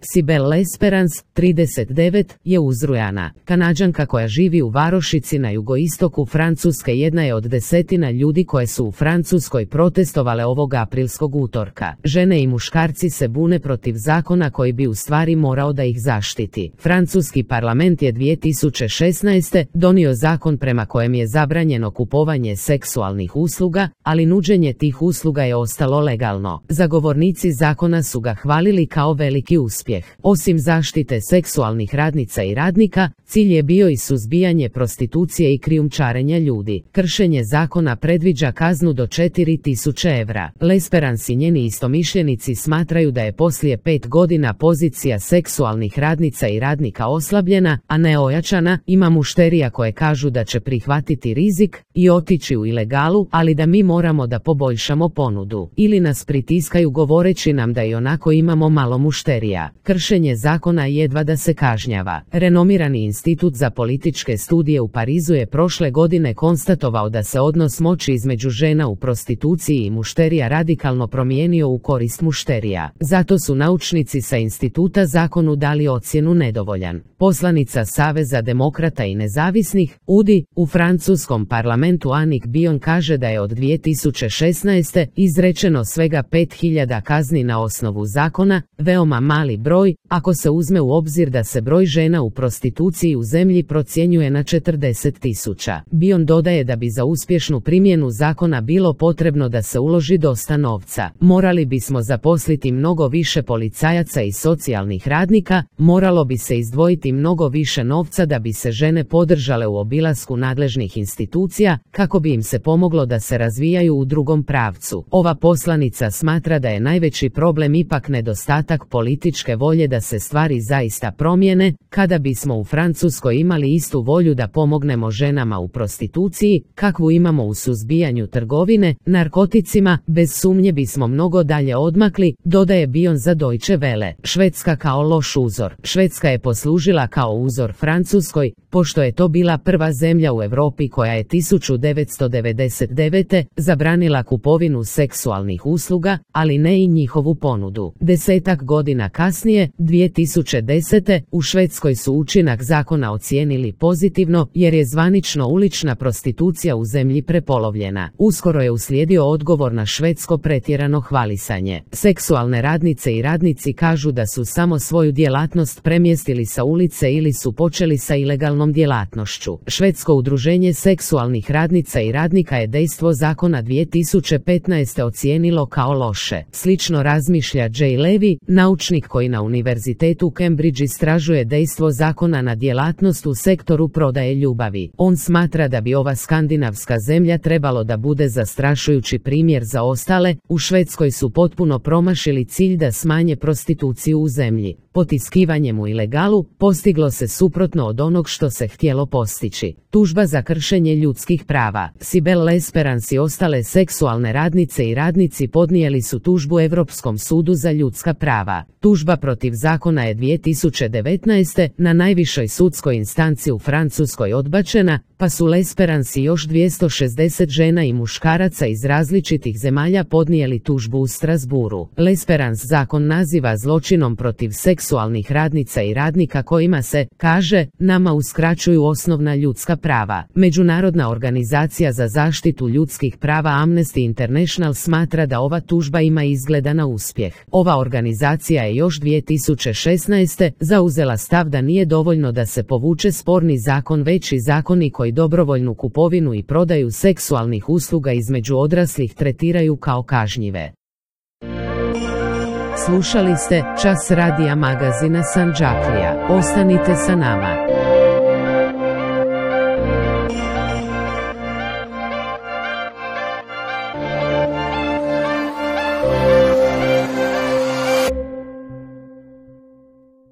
Cybele L'Esperance, 39, je uzrujana. Kanađanka koja živi u varošici na jugoistoku Francuske jedna je od desetina ljudi koje su u Francuskoj protestovale ovog aprilskog utorka. Žene i muškarci se bune protiv zakona koji bi u stvari morao da ih zaštiti. Francuski parlament je 2016. donio zakon prema kojem je zabranjeno kupovanje seksualnih usluga, ali nuđenje tih usluga je ostalo legalno. Zagovornici zakona su ga hvalili kao veliki uspjeh. Osim zaštite seksualnih radnica i radnika, cilj je bio i suzbijanje prostitucije i krijumčarenja ljudi. Kršenje zakona predviđa kaznu do 4.000 evra. L'Esperance i njeni istomišljenici smatraju da je poslije 5 godina pozicija seksualnih radnica i radnika oslabljena, a ne ojačana. Ima mušterija koje kažu da će prihvatiti rizik i otići u ilegalu, ali da mi moramo da poboljšamo ponudu. Ili nas pritiskaju govoreći nam da i onako imamo malo mušterija. Kršenje zakona jedva da se kažnjava. Renomirani institut za političke studije u Parizu je prošle godine konstatovao da se odnos moći između žena u prostituciji i mušterija radikalno promijenio u korist mušterija. Zato su naučnici sa instituta zakonu dali ocjenu nedovoljan. Poslanica Saveza demokrata i nezavisnih, UDI, u francuskom parlamentu Annick Bion kaže da je od 2016. izrečeno svega 5.000 kazni na osnovu zakona, veoma mali broj, ako se uzme u obzir da se broj žena u prostituciji u zemlji procjenjuje na 40.000. Bion dodaje da bi za uspješnu primjenu zakona bilo potrebno da se uloži dosta novca. Morali bismo zaposliti mnogo više policajaca i socijalnih radnika, moralo bi se izdvojiti mnogo više novca da bi se žene podržale u obilasku nadležnih institucija, kako bi im se pomoglo da se razvijaju u drugom pravcu. Ova poslanica smatra da je najveći problem ipak nedostatak političke volje da se stvari zaista promijene. Kada bismo u Francuskoj imali istu volju da pomognemo ženama u prostituciji, kakvu imamo u suzbijanju trgovine narkoticima, bez sumnje bismo mnogo dalje odmakli, dodaje Bion za Deutsche Welle. Švedska kao loš uzor. Švedska je poslužila kao uzor Francuskoj, pošto je to bila prva zemlja u Europi koja je 1999. zabranila kupovinu seksualnih usluga, ali ne i njihovu ponudu. 10 godina kasnije, 2010. u Švedskoj su učinak zakona ocijenili pozitivno, jer je zvanično ulična prostitucija u zemlji prepolovljena. Uskoro je uslijedio odgovor na švedsko pretjerano hvalisanje. Seksualne radnice i radnici kažu da su samo svoju djelatnost premjestili sa ulice ili su počeli sa ilegalnom djelatnošću. Švedsko udruženje seksualnih radnica i radnika je dejstvo zakona 2015. ocijenilo kao loše. Slično razmišlja Jay Levy, naučnik koji na Univerzitetu Cambridge istražuje dejstvo zakona na djelatnost u sektoru prodaje ljubavi. On smatra da bi ova skandinavska zemlja trebalo da bude zastrašujući primjer za ostale. U Švedskoj su potpuno promašili cilj da smanje prostituciju u zemlji. Potiskivanjem u ilegalu postiglo se suprotno od onog što se htjelo postići. Tužba za kršenje ljudskih prava. Cybele L'Esperance i ostale seksualne radnice i radnici podnijeli su tužbu Europskom sudu za ljudska prava. Tužba protiv zakona je 2019. na najvišoj sudskoj instanci u Francuskoj odbačena, pa su L'Esperance i još 260 žena i muškaraca iz različitih zemalja podnijeli tužbu u Strasburu. L'Esperance zakon naziva zločinom protiv seksualnih radnica i radnika kojima se, kaže, nama uskraćuju osnovna ljudska prava. Međunarodna organizacija za zaštitu ljudskih prava Amnesty International smatra da ova tužba ima izgleda na uspjeh. Ova organizacija je još 2016. zauzela stav da nije dovoljno da se povuče sporni zakon, već i zakoni koji dobrovoljnu kupovinu i prodaju seksualnih usluga između odraslih tretiraju kao kažnjive. Slušali ste Čas radija magazina Sandžaklija. Ostanite sa nama.